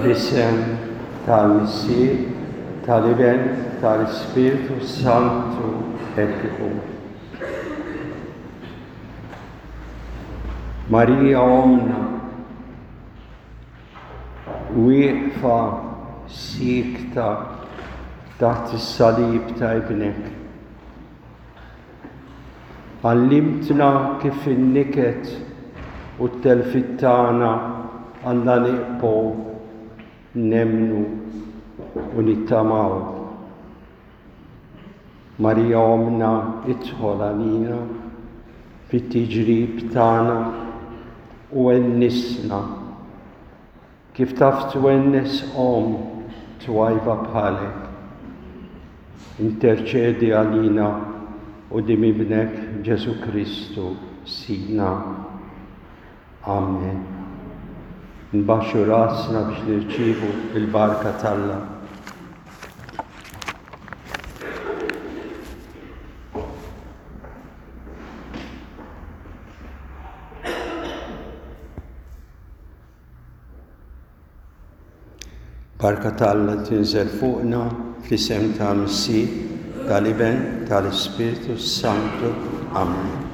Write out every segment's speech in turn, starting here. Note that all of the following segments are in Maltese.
Fl-isem tal-Missier, tal-Iben, tal-Ispirtu Santu, hekk ikun. Marija Omna, wieqfa siekta taħt is-salib ta' ibnek. Għallimtna kif in-niket u t-telfiet tagħna għandna nieqfu nemmnu u nittamaw. Marija Ommna idħol għalina fit-tiġrib tagħna u wennisna Kif taf twennes omm twajba bħalek? Interċedi għalina quddiem Ibnek Ġesù Kristu, Sidna. Amen. Nbaxxu rasna biex nirċievu l-barka t'Alla. Barka ta' Alla tinżel fuqna fl-isem tal-Missier, tal-Iben, tal-Ispirtu Santu. Amen.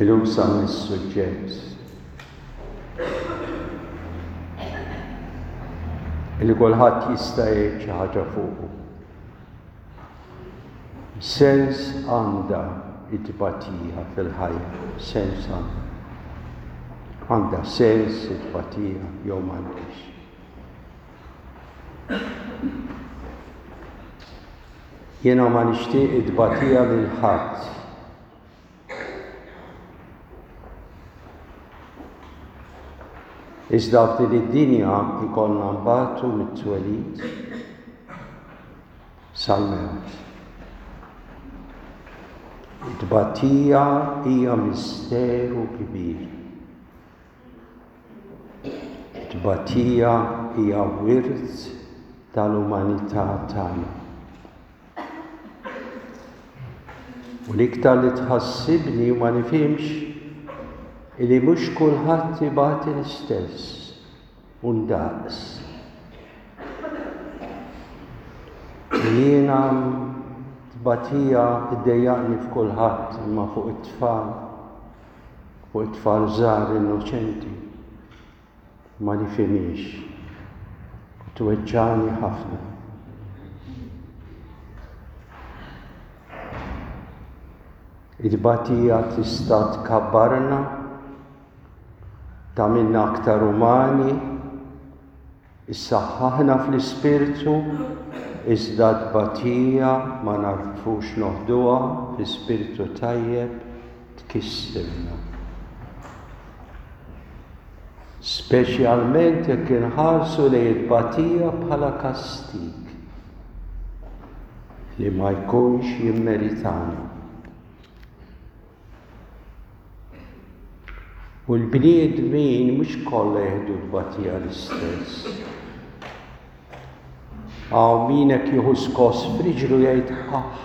Illum sa mis-suġġett li kulħadd jista' jgħid xi ħaġa fuqu. Sens għandha t-tbatija fil-ħajja, sens għandha. Għandha sens it-tbatija jew m'għandhiex. Jiena ma nixtieq it-tbatija lil ħadd. Iżda f'din id-dinja jkollna nbatu mit-twelid sal-mewt. It-tbatija hija misteru kbir. It-tbatija hija wirt tal-umanità tagħna. U l-iktar li tħassibni u ma nifhimx illi mhux kulħadd ibati l-istess u ndaqs. Jiena tbatija ddejjaqni f'kulħadd imma fuq it-tfal, fuq it-tfal żgħar innoċenti. Ma nifhimhiex u tweġġagħni ħafna. It-tbatija tista' tkabbarna, tagħmilna aktar umani, issaħħaħna fl-ispirtu, iżda t-tbatija ma nagħrfux noħduha fi spirtu tajjeb tkissirna. Speċjalment jekk inħarsu lejn it-tbatija bħala kastig li ma jkunx jimmeritana. U l-bniedmin mhux kollha jieħdu tbatija l-istess. Hawn min hekk jieħu skoss f'riġlu jgħid aħ.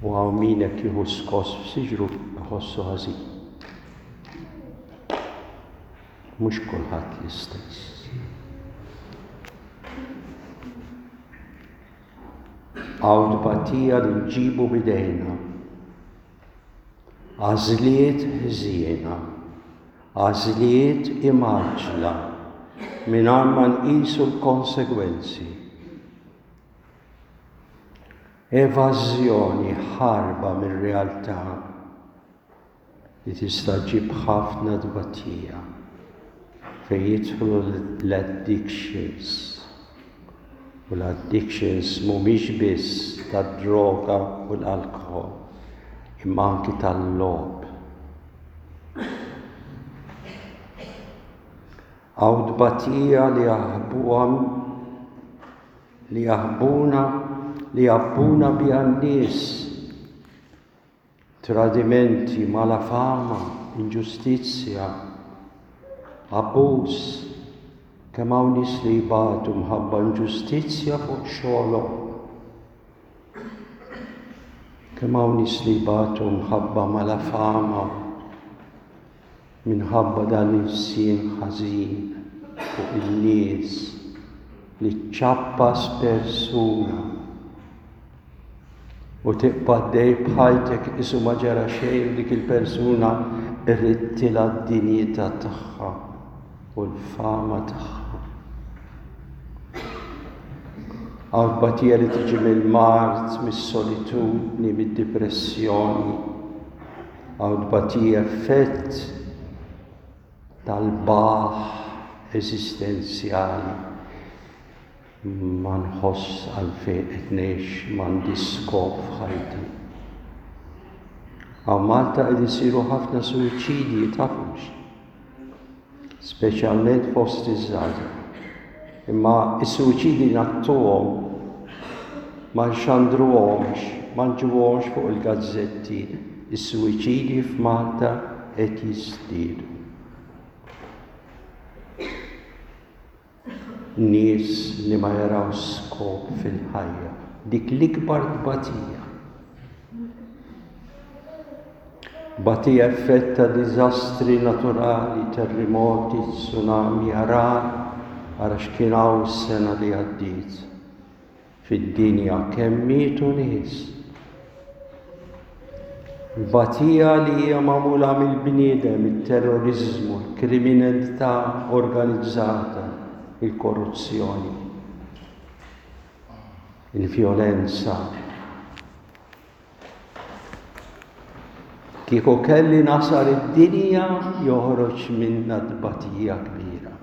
U hawn min hekk jieħu skoss f'siġru jħossu ħażin. Mhux kulħadd l-istess. Hawn tbatija li nġibu b'idejna. Għażliet ħżiena, għażliet imgħaġġla mingħajr ma nqisu l-konsegwenzi. Evażjoni, ħarba mir-realtà li tista' ġġib ħafna tbatija fejn jidħlu l-addictions. U l-addictions mhumiex biss tad-droga u l-alkoħol, imma anki tal-logħob. Hawn tbatija li jaħbuha li jaħbuna li jabbuna biha n-nies tradimenti, malafama, inġustizzja, abbuż, kemm hawn nies li jbatu mħabba inġustizzja fuq xogħolhom. Kemm hawn nies li jbatu mħabba malafama minħabba dan l-ilsien ħażin fuq in-nies li ċċappas persuna u tibqa' għaddej b'ħajtek qisu ma ġara xejn u dik il-persuna rridtilha d-dinjità tagħha u l-fama tagħha. Hawn tbatija li tiġi mill-mard, mis-solitudni, mid-dipressjoni. Hawn tbatija effett tal-baħ eżistenzjali. Ma nħoss għalfejn qed ngħix, m'għandi skop f'ħajti. Hawn Malta qed isiru ħafna suwiċidji tafux. Speċjalment fost iż-żgħażagħ. Imma s-suwiċidji ngħattuhom, ma nxandruhomx, ma nġibuhomx fuq il-gazzetti. Is-suwiċidji f'Malta qed jiżdiedu. Nies li ma jaraw skop fil-ħajja. Dik l-ikbar tbatija. Tbatija effett ta' diżastri naturali, terrimoti, tsunami, għarar, ara x'kien hawn is-sena li għaddiet. Fid-dinja kemm mietu nies. Tbatija li hija magħmula mill-bniedem, it-terroriżmu, il-kriminalità organizzata, il-korruzzjoni, il-vjolenza. Kieku kelli nasar id-dinja joħroġ minna tbatija kbira.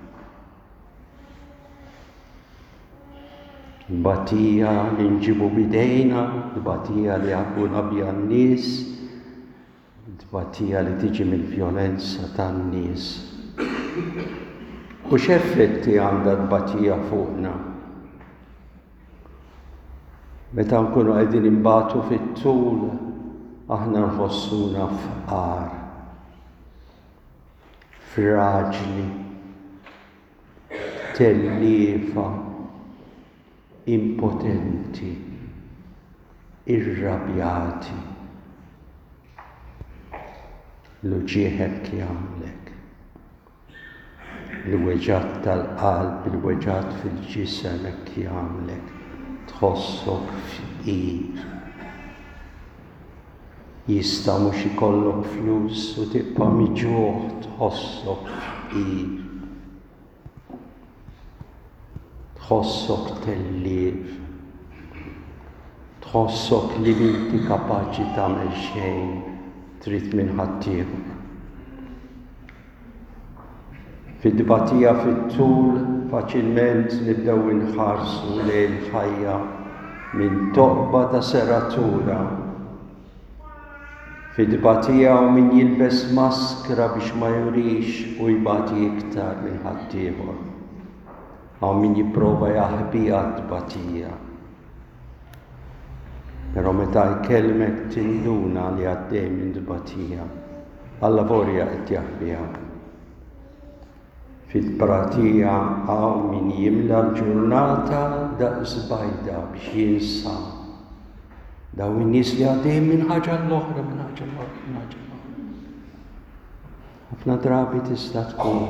Tbatija li nġibu bidejna, tbatija li għabbuna biha n-nies, tbatija li tiġi mill-vjolenza tan-nies. U x'effetti għandha tbatija fuqna? Meta nkunu qegħdin inbatu fit-tul, aħna nħossuna fqar, fraġli, telliefa, impotenti, irrabjati. L-uġigħ hekk jagħmlek. Il-weġgħat tal-qalb, il-weġgħat fil-ġisem hekk jagħmlek tħossok fqir. Jista' mhux ikollok flus u tibqa' miġugħ tħossok fqir. Tħossok tellief. Tħossok li m'inti kapaċi tagħmel xejn, trid minn ħaddieħor. Fit-tbatija fit-tul faċilment nibdew inħarsu lejn il-ħajja minn toqba ta' seratura. Fit-tbatija hawn min jilbes maskra biex ma jurix u jbati iktar minn ħaddieħor. Hawn min jipprova jaħbiha t-tbatija. Però meta jkellmek tinduna li għaddej minn tbatija. Allavolja qed jaħbiha. Fit-tbatija hawn min jimla l-ġurnata daqs bajda biex jinsa dawn in-nies li għaddejjin minn ħaġa l-oħra, minn ħaġa l-oħra, minn ħaġa l-oħra. Ħafna drabi tista' tkun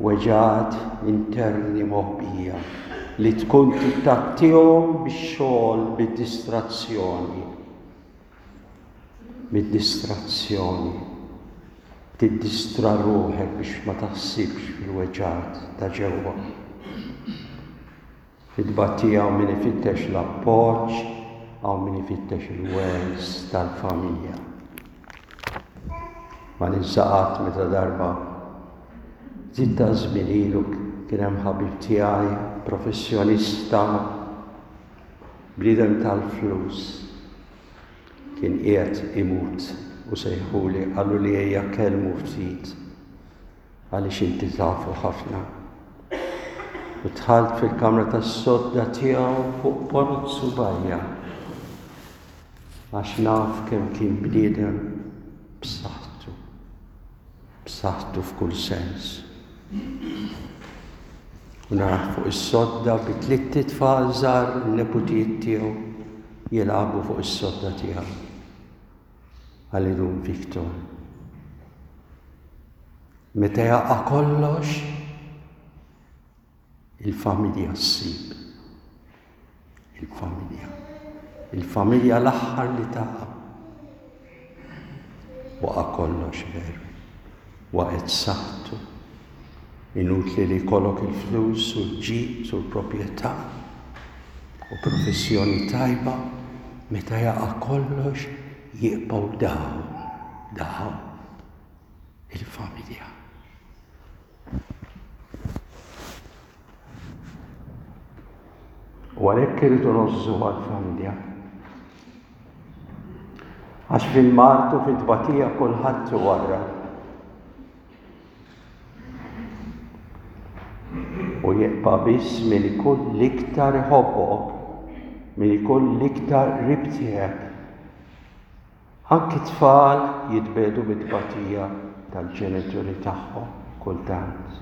weġgħat interni moħbija li tkun tittattihom bix-xogħol bid-distrazzjoni. Bid-distrazzjoni. Tiddistra ruħek biex ma taħsibx fil-weġgħat ta' ġewwa. Fit-tbatija hawn min ifittex l-appoġġ, hawn min ifittex il-wens tal-familja. Ma ninsa qatt meta darba ftit ta' żmien ilu kien hemm ħabib tiegħi, professjonista, bniedem tal-flus, kien qiegħed imut u sejħuli qaluli ejja kellmu ftit. Għaliex inti tafu ħafna. U dħalt fil-kamra tas-sodda tiegħu fuq ponot subgħajja. Għax naf kemm kien bniedem b'saħħtu. B'saħħtu f'kull sens. U narah fuq is-sodda bi tlitt itfal żgħar, in-neputijiet tiegħu, jilagħbu fuq is-sodda tiegħu. Qalli Dun Victor. Meta jaqa' kollox, il-familja ssib. Il-familja. Il-familja l-aħħar li taqa'. Waqa' kollox veru. Waqgħet saħħtu. Inutli li jkollok il-flus u l-ġid u l-proprjetà u professjoni tajba, meta jaqa' kollox jibqgħu dawn, dawn il-familja. U għalhekk irridu ngħożżu għall-familja. Għax fil-mard u fit-tbatija kulħadd iwarrab. U jibqa' biss min ikun l-iktar iħobbok, min ikun l-iktar qrib tiegħek. Anki t-tfal jitbiegħdu mit-tbatija tal-ġenituri tagħhom kultant.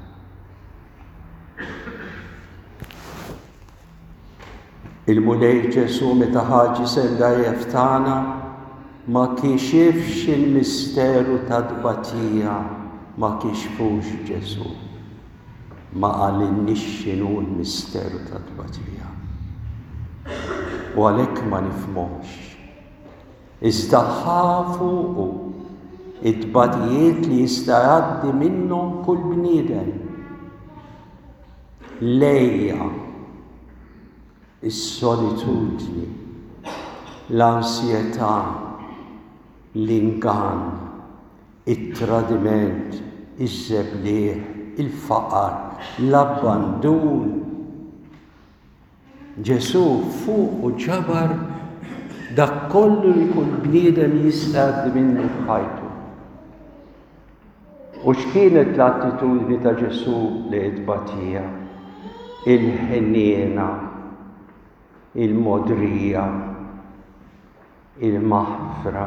Il-Mulej Ġesù meta ħa ġisem dgħajjef tagħna ma kixifx il-misteru tat-tbatija, ma kixfux Ġesù. Ma qalilniex x'inhu l-misteru tat-tbatija. U għalhekk ma nifhmuhx. Iżda ħa fuqu it-tbatijiet li jista' jgħaddi minnhom kull bniedem. L-għeja, is-solitudni, l-ansjetà, l-ingann, it-tradiment, iż-żebliħ, il-faqar, l-abbandun, Ġesù fuqu ġabar dak kollu li kull bniedem jista' jgħaddi minnu f'ħajtu. U x'kienet l-attitudni ta' Ġesù lejn it-tbatija? Il-ħniena, il-mogħdrija, il-maħfra,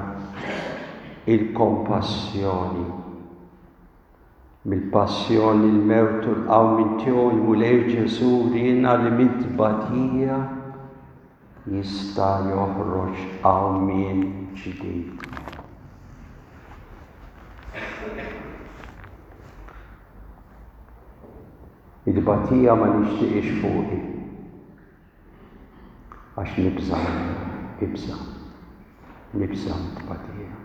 il-kompassjoni. Mill-passjoni, l-mewt u l-qawmien tiegħu l-Mulej Ġesù wriena li mit-tbatija jista' joħroġ qawmien ġdid. It-tbatija ma nixtieqx fuqi. Għax nibża' minnha, nibża'. Nibża' mit-tbatija.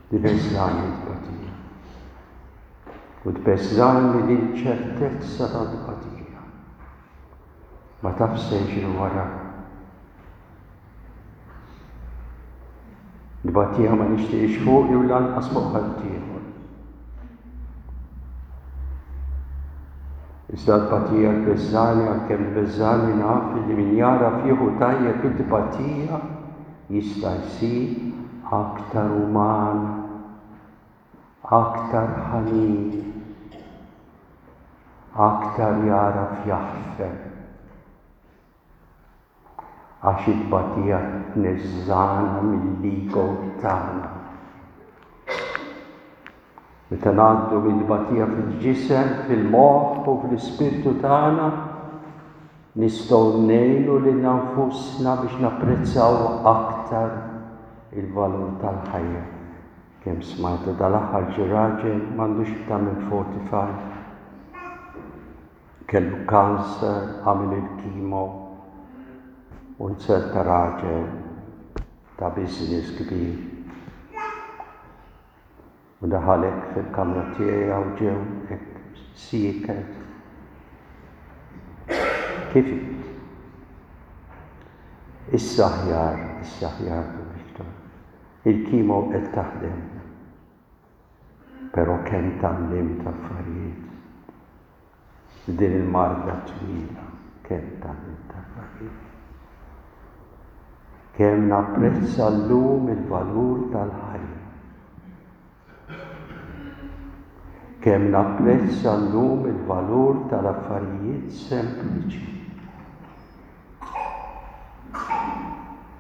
Tbeżżagħni t-tbatija. U tbeżżagħni l-inċertezza tat-tbatija. Ma tafx se jiġri wara. Tbatija ma nixtieqx fuqi u lanqas fuq ħaddieħor. Iżda t-tbatija tbeżżagħni għalkemm tbeżżagħni naf li min jagħraf jieħu tajjeb it-tbatija Jista' jsir aktar uman, aktar ħanin, aktar jagħraf jaħfer. Għax it-tbatija tneżżagħna mill-ego tagħna. Meta ngħaddu minn tbatija fil-ġisem, fil-moħħ u fl-ispirtu tagħna, nistgħu ngħinu lilna nfusna biex napprezzaw aktar il-valur tal-ħajja. Kemm smajtu dal-aħħar ġie raġel m'għandux iktar minn 45. Kellu kanser, għamel il-kimo u nzerta raġel ta' business kbir. U daħal hekk fil-kamra tiegħi hawn ġew hekk sieket. Kif int? Issa aħjar, issa aħjar, Victor. Il-kimo qed taħdem. Però kemm tgħallimt affarijiet. Din il-marda twila kemm tgħallimt affarijiet. Kemm napprezza llum il-valur tal-ħajja. Kemm napprezza llum il-valur tal-affarijiet sempliċi.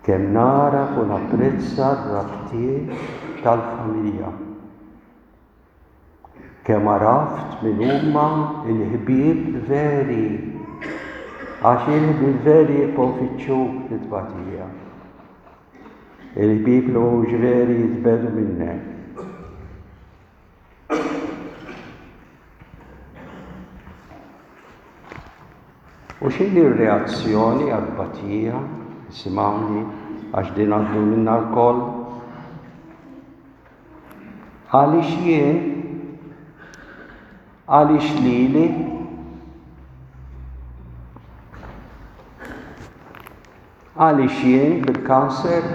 Kemm nagħraf u napprezza r-rabtiet tal-familja. Kemm għaraft min huma l-ħbieb veri, għax il-ħbieb veri jibqgħu jfittxuk fit-tbatija. Il-ħbieb li mhumiex veri jitbegħdu minnek. U x'inhi r-reazzjoni għat-tbatija? Isimgħuni għax din għaddu minna lkoll. Għaliex jien? Għaliex lili? Għaliex jien bil-kanser?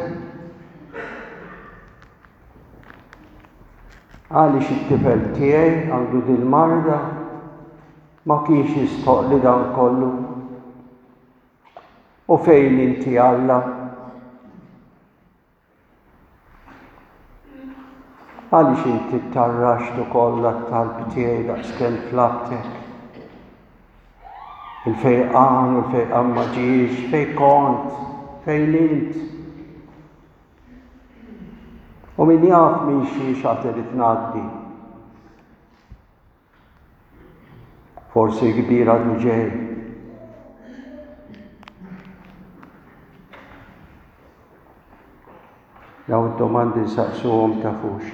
Għaliex it-tifel tiegħi għandu dil-marda? Ma kienx jistħoqqli dan kollu. U fejn inti Alla? Għaliex inti ttarraxt ukoll għat-talb tiegħi daqskemm tlabtek? Il-fejqan u l-fejqan ma ġiex, fejn kont, fejn int? U min jaf minn xiex għad irid ngħaddi. Forsi kbir għadu ġej. Daw id-domandi nsaqsuhom tafux.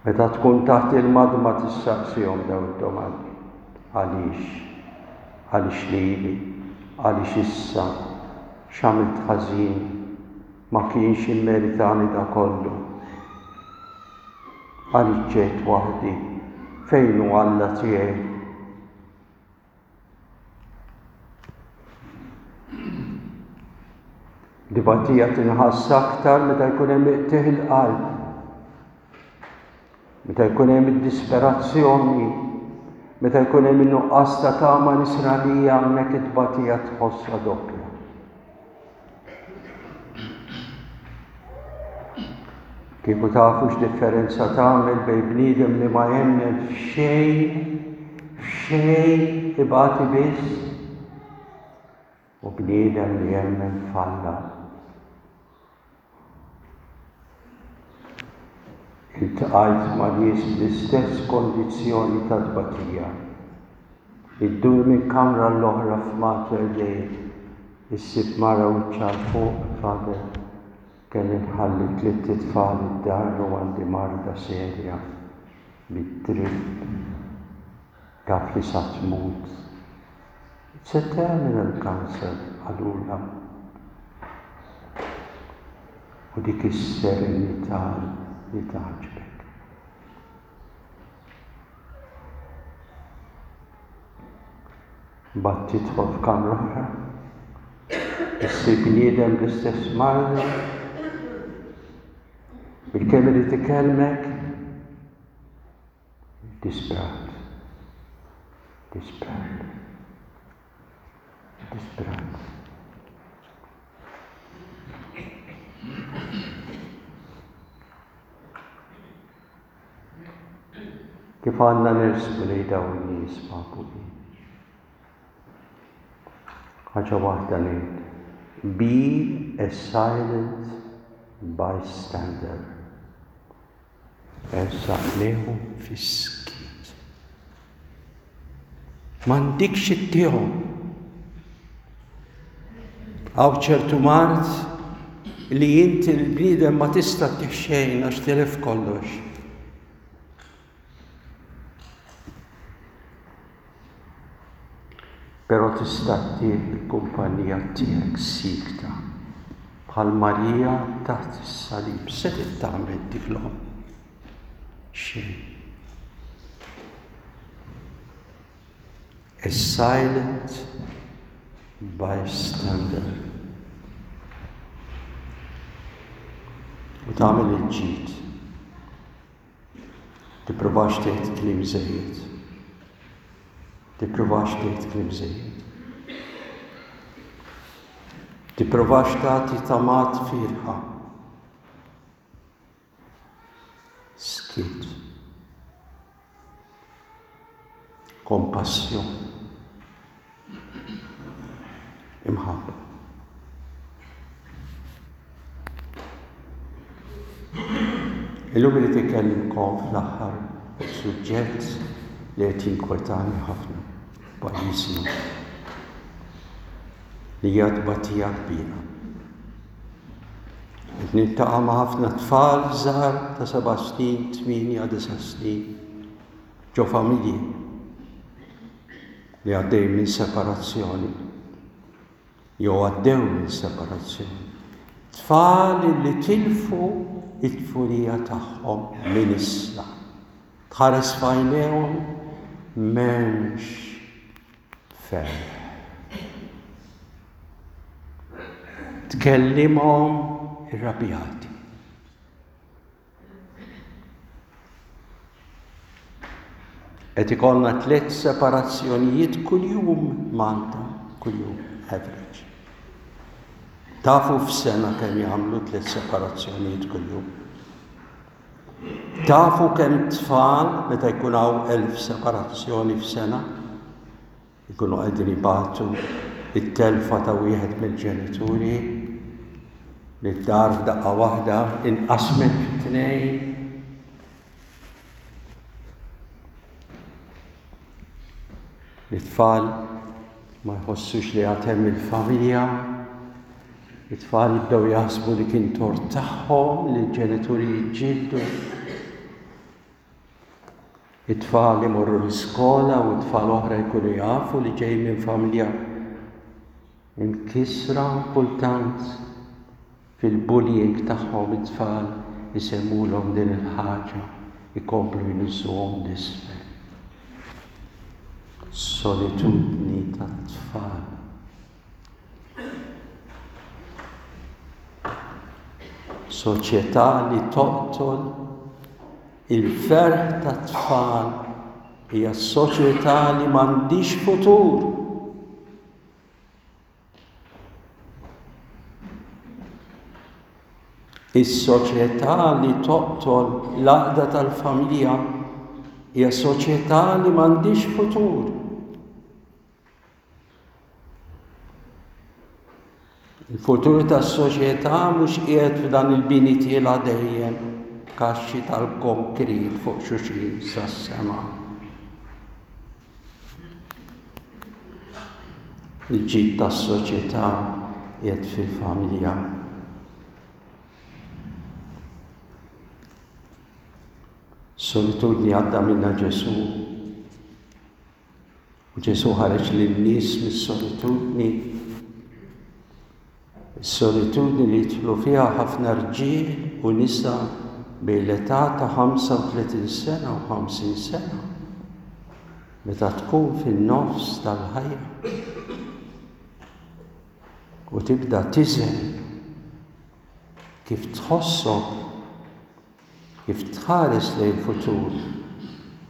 Meta tkun taħt il-madma tissaqsihom daw id-domandi. Għaliex? Għaliex lili? Għaliex issa? X'għamilt ħażin? Ma kienx immeritani da kollu. Għaliex ġejt waħdi? Fejn hu Alla tiegħi? Dibatija tinħass aktar meta jkun hemm iqtih il-qalb. Meta jkun hemm id-disperazzjoni, meta jkun hemm in-nuqqas ta' tama nisranija hemmhekk it-tbatija tħossha doppja. Kieku tafu x'differenza tagħmel bejn bniedem li ma jemmen f'xejn, f'xejn ibati biss, u bniedem li jemmen f'Alla. Iltqajt ma' nies bl-istess kondizzjoni ta' tbatija. Iddur minn kamra għall-oħra f'Mater Dei, issib mara wiċċha 'l fuq, Father, kelli nħalli tlitt itfal id-dar u għandi marda serja bid-drip. Taf li sa tmut. It's a terminal cancer, qalulha. U dik is-serenità li tgħaġġbek. Mbagħad tidħol f'kamra oħra, issib bniedem bl-istess marda, bilkemm irid ikellmek, Disprat. Disprat. Disprat. Kif għandna nersqu lejn dawn in-nies papuli? Ħaġa waħda ngħid. Be a silent bystander. Ersaq lejhom fis-skiet. M'għandikx ittihom. Hawn ċertu mard li inti l-bniedem ma tista' ttih xejn għax tilef kollox. Però tista' ttih il-kumpanija tiegħek siekta, bħal Marija taħt is-salib. X'setgħet tagħmel dik l-omm? Xejn. A silent bystander. U tagħmel il-ġid. Tippruvax tgħid kliem żejjed. Tippruvax tgħid kliem żejjed. Tippruvax tagħti tamat firħa. Skiet. Kompassjoni. Imħabba. Illum irid ikellimkom fl-aħħar fuq suġġett li qed jinkwetani ħafna pajjiżna li hija tbatija kbira. Niltaqa' ma' ħafna tfal żgħar ta' seba' snin, tmienja, disa' snin, ġo familji li għaddej minn separazzjoni jew għaddew minn separazzjoni. Tfal li tilfu it-tfulija tagħhom minn issa. Tħares f'għajnejhom m'hemmx ferħ. Tkellimhom irrabjati. Qed ikollna tliet separazzjonijiet kuljum Malta, kuljum average. Tafu f'sena kemm jagħmlu tliet separazzjonijiet kuljum. Tafu kemm tfal meta jkun hawn 1000 separazzjoni f'sena ikunu qegħdin ibatu it-telfa ta' wieħed mill-ġenituri li d-dar f'daqqa waħda inqasmet fi tnejn. It-tfal ma jħossux li għad hemm il-familja, it-tfal jibdew jaħsbu li kien tort tagħhom li l-ġenituri jiġġieldu. It-tfal imorru l-iskola u t-tfal oħra jkunu jafu li ġej minn familja imkissra kultant Fil-bullying tagħhom it-tfal isemmulhom din il-ħaġa, ikomplu jniżżuhom 'l isfel. Solitudni tat-tfal. Soċjetà li toqtol il-ferħ tat-tfal hija soċjetà li m'għandix futur. Is-soċjetà li toqtol l-għaqda tal-familja hija soċjetà li m'għandhiex futur. Il-futur tas-soċjetà mhux qiegħed f'dan il-bini tiela' dejjem kaxxi tal-konkrit fuq xulxin sas-sema. Il-ġid tas-soċjetà qiegħed fil-familja. Solitudni għadda minna Ġesù. U Ġesù ħareġ lin-nies mis-solitudni. Is-solitudni li jidħlu fiha ħafna rġiel u nisa bejn l-età ta' 35 sena u 50 sena, meta tkun fin-nofs tal-ħajja u tibda tiżen kif tħossok Kif tħares lejn il-futur,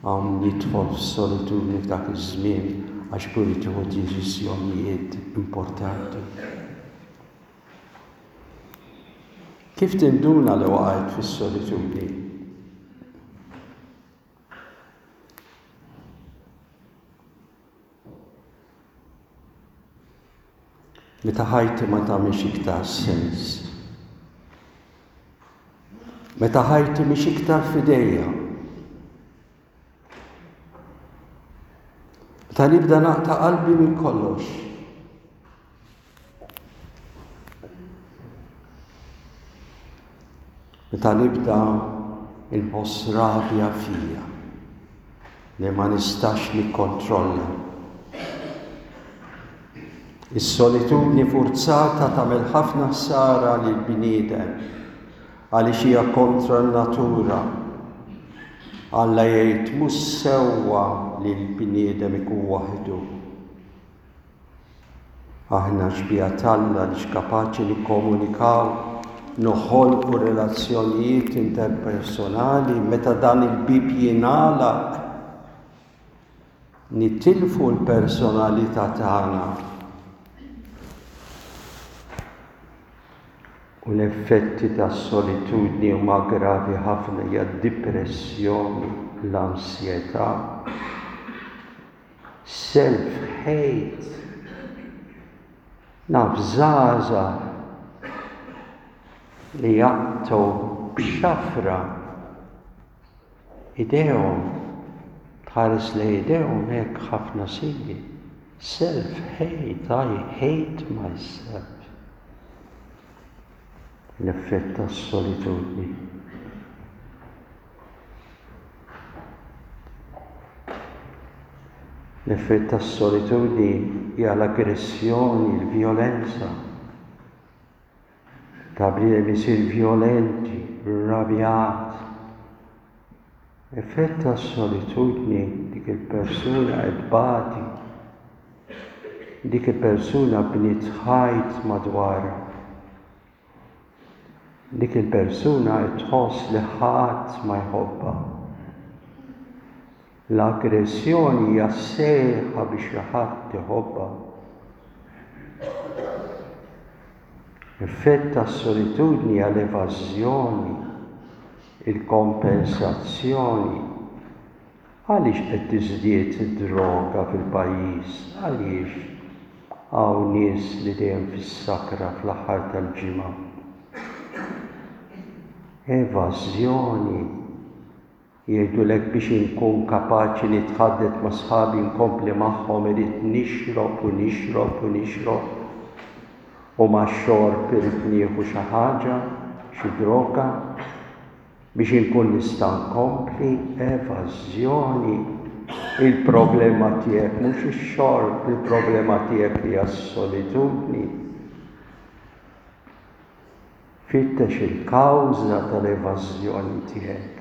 hawn jidħol f'solitudni f'dak iż-żmien għax ikun irid jieħu deċiżjonijiet importanti. Kif tinduna li waqajt fis-solitudni? Meta ħajti ma tagħmilx iktar sens. Meta ħajti mhix iktar f'idejja. Meta nibda naqta' qalbi minn kollox. Meta nibda inħoss rabja fija li ma nistax nikkontrolla. Is-solitudni furzata tagħmel ħafna ħsara lill-bniedem għaliex hija kontra n-natura. Alla jgħid mhux sewwa li l-bniedem ikun waħdu. Aħna xbieha t'Alla għaliex kapaċi nikkomunikaw, noħolqu relazzjonijiet interpersonali meta dan il-bieb jingħalaq nitilfu l-personalità tagħna. U l-effetti tas-solitudni huma gravi ħafna hija d-dipressjoni, l-ansjetà. Self hate. Naf żgħażagħ li jaqtgħu b'xafra idejhom, tħares lejn idejhom hekk ħafna sinji. Self hate, I hate myself. L-effett tas-solitudni. L-effett tas-solitudni hija l-aggressjoni, l-vjolenza. Ta' bniedem isir vjolenti, rrabjat. Effett tas-solitudni dik il-persuna qed tbati. Dik il-persuna bniet ħajt madwarha. Dik il-persuna qed tħoss li ħadd ma jħobbha. L-aggressjoni hija sejħa biex xi ħadd iħobbha. Effett tas-solitudni hija l-evażjoni, il-kompensazzjoni. Għaliex qed tiżdied id-droga fil-pajjiż? Għaliex hawn nies li dejjem fis-sakra fl-aħħar tal-ġimgħa? Evażjoni. Jgħidulek biex inkun kapaċi nitħaddet ma' sħabi nkompli magħhom irrid nixrob u nixrob u nixrob. U max-xorb irrid nieħu xi ħaġa, xi droga. Biex inkun nista' nkompli evażjoni. Il-problema tiegħek mhux ix-xorb, il-problema tiegħek hija s-solitudni. Fittex il-kawża tal-evażjoni tiegħek.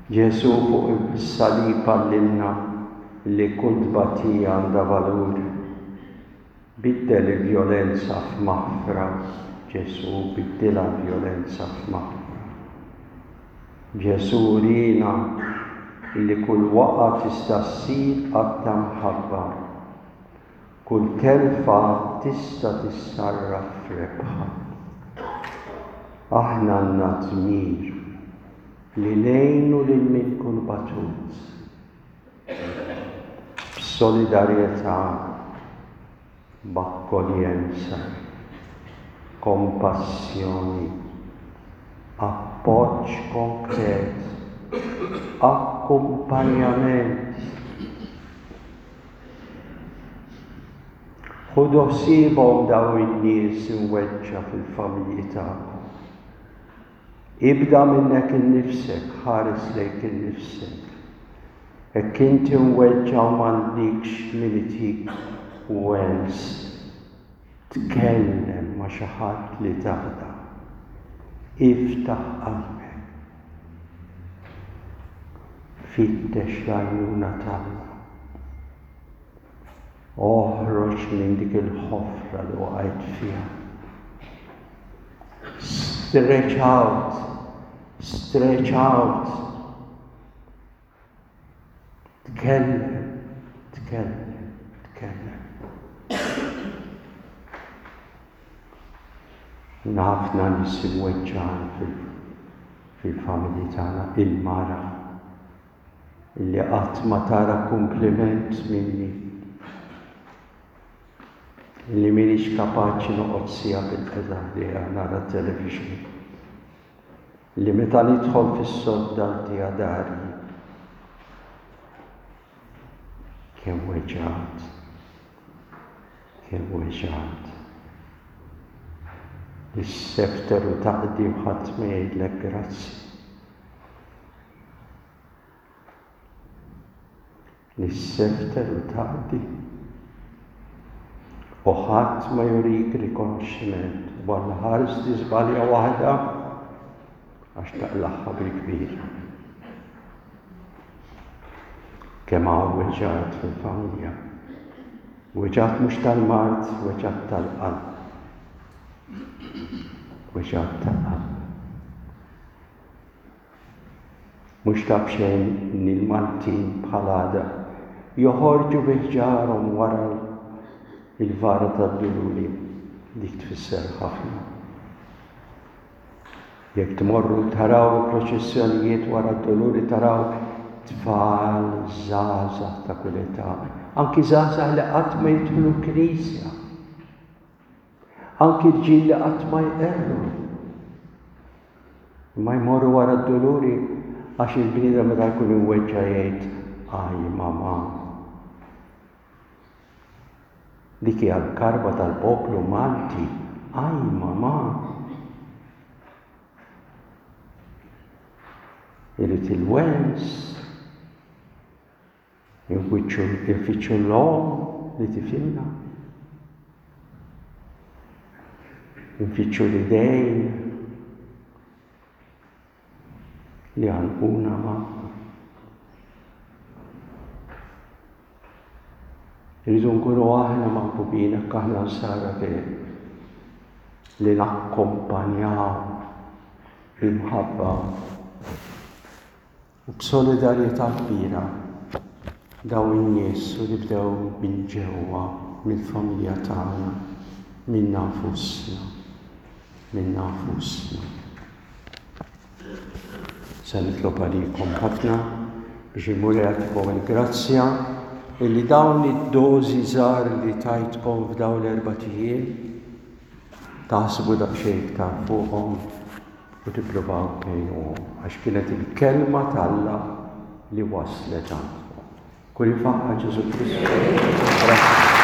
Ġesù fuq is-salib għallimna li kull tbatija għandha valur. Biddel il-vjolenza f'maħfra, Ġesù biddilha l-vjolenza f'maħfra. Ġesù wriena li kull waqgħa tista' ssir att ta' mħabba. Kull telfa tista' tissarraf f'rebħa. Aħna għandna dmir li ngħinu lil min ikun batut. B'solidarjetà, b'akkoljenza, kompassjoni, appoġġ konkret, akkumpanjament. Ħudu ħsiebhom dawn in-nies imweġġa' fil-familji tagħkom. Ibda minnek innifsek, ħares lejk innifsek. Hekk inti mweġġa' u m'għandikx min itik wens, tkellem ma' xi ħadd li tafda. Iftaħ qalbek. Fittex l-għajnuna t'Alla. Oħroġ minn dik il-ħofra li waqajt fiha. Stretch out, stretch out. Tkellem, tkellem, tkellem. Ħafna nies imweġġgħin fil-familji tagħna, il-mara illi qatt ma tara kumpliment minni, illi m'iniex kapaċi noqgħod siegħa bilqiegħda ħdejha nara t-television, li meta nidħol fis-sodda ntiha dari. Kemm weġgħat, kemm weġgħat. Issefter u taqdi u ħadd ma jgħidlek grazzi. Issefter u taqdi u ħadd ma jurik rikonoxximent u Alla ħares tiżbalja waħda għax taqlagħha bil-kbir. Kemm hawn weġgħat fil-familja. Weġgħat mhux tal-mard, weġgħat tal-qalb. Weġgħat tal-qalb. Mhux ta' b'xejn li l-Maltin bħal għada joħorġu bi ħġarhom wara l-vara tad-Duluri. Dik tfisser ħafna. Jekk tmorru taraw il-proċessjonijiet wara d-Duluri taraw tfal, żgħażagħ ta' kull età, anki żgħażagħ li qatt ma jidħlu l-knisja. Anki rġiel li qatt ma jqerru. Imma jmorru wara d-duluri għax il-bniedem meta jkun imweġġa' jgħid aj mamà. Dik hija l-karba tal-poplu Malti. Aj mamà! Irid il-wens, infittxu l-omm li tifhimna. Infittxu l-idejn li għanquna magħna. Irridu nkunu aħna maħbubin hekk aħna nsara veri li nakkompanjaw b'imħabba u b'solidarjetà kbira dawn in-nies u nibdew minn ġewwa mill-familja tagħna, minna nfusna, minna nfusna. Se nitlob għalikom ħafna biex il-Mulej jagħtikom il-grazzja illi dawn id-dożi żgħar li tajtkom f'dawn l-erbat ijiem taħsbu daqsxejn iktar fuqhom u tippruvaw tgħinuhom għax kienet il-kelma t'Alla li waslet għandkom. Kull ifaħħar Ġesù Kristu. Grazzi.